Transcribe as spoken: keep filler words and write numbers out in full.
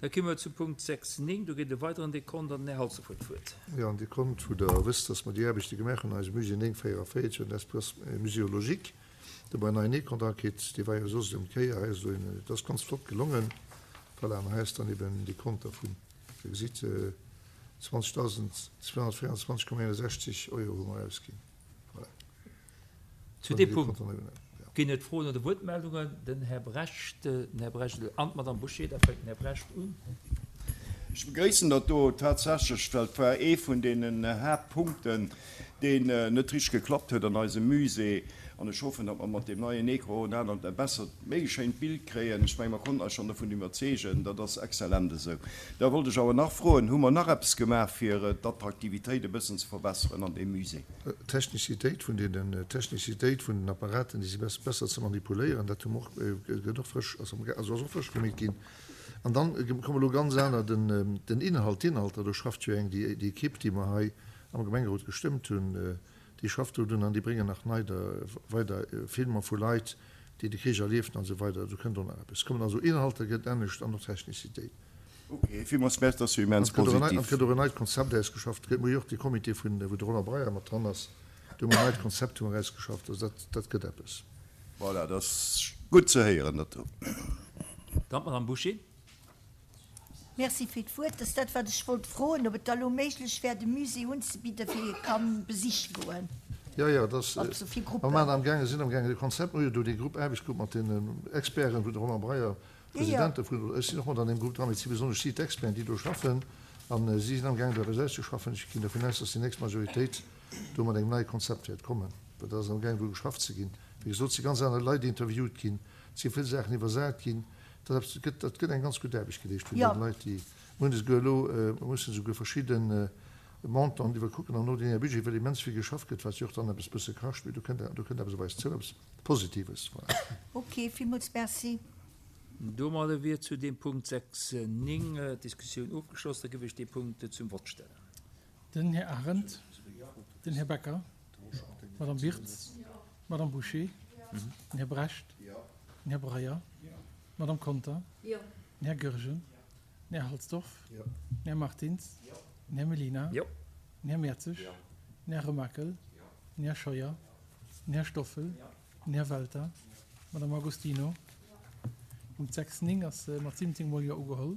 Da komme mer zu Punkt sechs néng. Do geet e weideren Dekont an den Här Halsdorf huet d'Wuert. Jo, an Dekont, wou Der wësst, dass mer déi Aarbechte gemaach hunn an eisem Musée néng véierunvéierzeg un Espace muséologique. Do bei neien Dekont erakitt. Dee war jo soss ëm d'Kéier. Hei ass elo een, et ass ganz flott gelongen. Voilà, an hei ass dann eben Dekont dervun. Dir gesitt, zwanzegtausendzweehonnertvéierundzwanzeg Komma eenundsechzeg Euro hu mer ausginn. Voilà. Zu deem Punkt ginn et Froen oder Wuertmeldungen. Den Här Brecht, den Här Brecht an d'Madame Bouché. Da fänkt den Här Brecht un. Ech begréissen dat do tatsächlech, well et war ee vun deenen Haaptpunkten, deen net richteg geklappt huet an eisem Musée. An ech hoffen, datt mer mat deem neien Ecran en anert, e bessert, méi schéint Bild kréien. Ech menge mer konnten eis schonn dovun iwwerzeegen, dat ass exzellent esou. Da wollt ech awer nach froen, Hu mer nach eppes gemaach, fir d'Attraktivitéit e bëssen ze verbesseren an deem Musée? D'Technizitéit vun deenen, d'Technizitéit vun den Apparaten, déi si besser ze manipuléieren, dat hu mer och, gëtt och frësch, ass am, also ass och frësch gemeet ginn. An dann komme lo ganz aner, den, den Inhalt, d'Inhalter, do schafft jo eng, déi, déi Equipe, déi mer hei am Gemengerot gestëmmt hunn, déi schafft do drun an déi bréngen nach nei da weider Filmer vu Leit, déi de Krich erlieft hunn an esou weider. Do kënnt och nach eppes. Et kommen also Inhalter, gëtt anescht an och Technizitéit. Ok, villmools Merci, dat ass jo immens An et gëtt positiv. och en neit Konzept ausgeschafft. Et gëtt jo och dee Comité vun, wou de Roland Breyer mat dran ass, do hu mer en neit Konzept hu mer ausgeschafft. Also dat, dat gëtt eppes. Voilà, dat ass gutt ze héieren, dat do. Dann d'Madame Bouché. Merci fir d'Wuert. Dat ass dat, wat ech wollt froen, ob et da elo méiglech wär, de Musée unzebidden, fir ee ka besiche goen. Jo, jo, dat ass, Also fir mer Gruppen. maachen amgaangen, sinn amgaangen, de Konzept, mer hu jo do déi Grupp, Aarbechtsgrupp mat den Experten, wou de Roland Breyer President dovun, ech sinn och mat an deem Grupp dran, mee et si besonnesch si d'Experten, déi do schaffen, a si sinn amgaangen do eppes auszeschaffen. Ech ginn dovun aus, datt déi nächst Majoritéit do mat engem neie Konzept wäert kommen, well dat ass amgaangen do geschafft ze ginn. Wéi gesot, et si ganz aner Leit interviewt ginn, et si vill Saachen iwwersat ginn. Dat eppes gëtt, dat gëtt eng ganz gutt Aarbecht geleescht vun deene Leit, déi mir hunn esouguer elo, mir mussen esouguer verschidde Montanten iwwerkucken am ordinaire Budget, well immens vill geschafft gëtt, wat jo och dann eppes bësse kascht, mee do kënnt, do kënnt eppes op eis zou, eppes Positives. Voilà. Ok, villmools Merci. Domadder wier zu deem Punkt sechs néng d'Diskussioun ofgeschloss. Da géif ech dee Punkt zum Vott stellen. Den Här Arendt, den Här Becker, d'Madame Wirtz, d'Madame Bouché, den Här Brecht, den Här Breyer, d'Madame Conter, den Här Goergen, den Här Halsdorf, den Här Martins, den Här Mellina, den Här Mertzig, den Här Remakel, den Här Scheuer, den Här Stoffel, den Här Welter, d'Madame Agostino. Punkt sechs néng ass mat siwwenzéng Mol Jo ugeholl.